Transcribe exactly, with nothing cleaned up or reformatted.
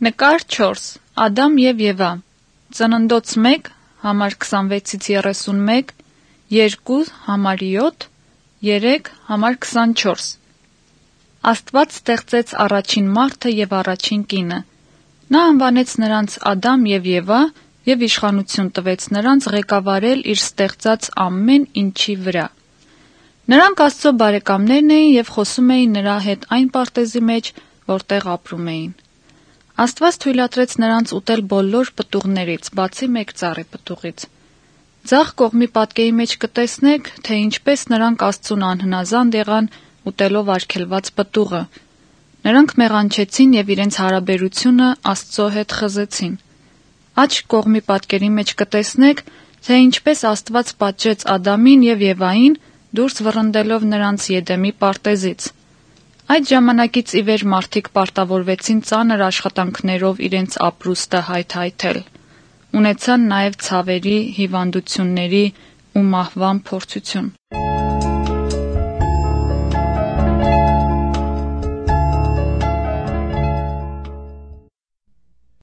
Նկար չորս. Ադամ և Եվա. Ծննդոց մեկ, համար քսանվեցից երեսունմեկ, երկու, համար յոթ, երեք, համար քսանչորս. Աստված ստեղծեց առաջին մարդը և առաջին կինը: Նա անվանեց նրանց Ադամ և Եվա և իշխանություն տվեց նրանց ղեկավարել իր ստեղծած ամեն ինչի վրա: Նրանք Աստծո բարեկամներն էին և խոսում էին նրա հետ այն պարտեզի մեջ, որտեղ ապրում էին: Աստված թույլատրեց նրանց ուտել բոլոր պտուղներից, բացի մեկ ծառի պտուղից: Ձախ կողմի պատկերի մեջ կտեսնեք, թե ինչպես նրանք Աստծուն անհնազանդ եղան ուտելով արգելված պտուղը: Նրանք մեղանչեցին և իրենց հարաբերությունը Աստծո հետ խզեցին: Աջ կողմի պատկերի մեջ կտեսնեք, թե ինչպես Աստված պատժեց Ադամին և Եվային, դուրս վռնդելով նրանց Եդեմի պարտեզից: Այդ ժամանակից ի վեր մարդիկ պարտավորվեցին ծանր աշխատանքներով իրենց ապրուստը հայթայթել: Ունեցան նաև ցավերի, հիվանդությունների ու մահվան փորձություն: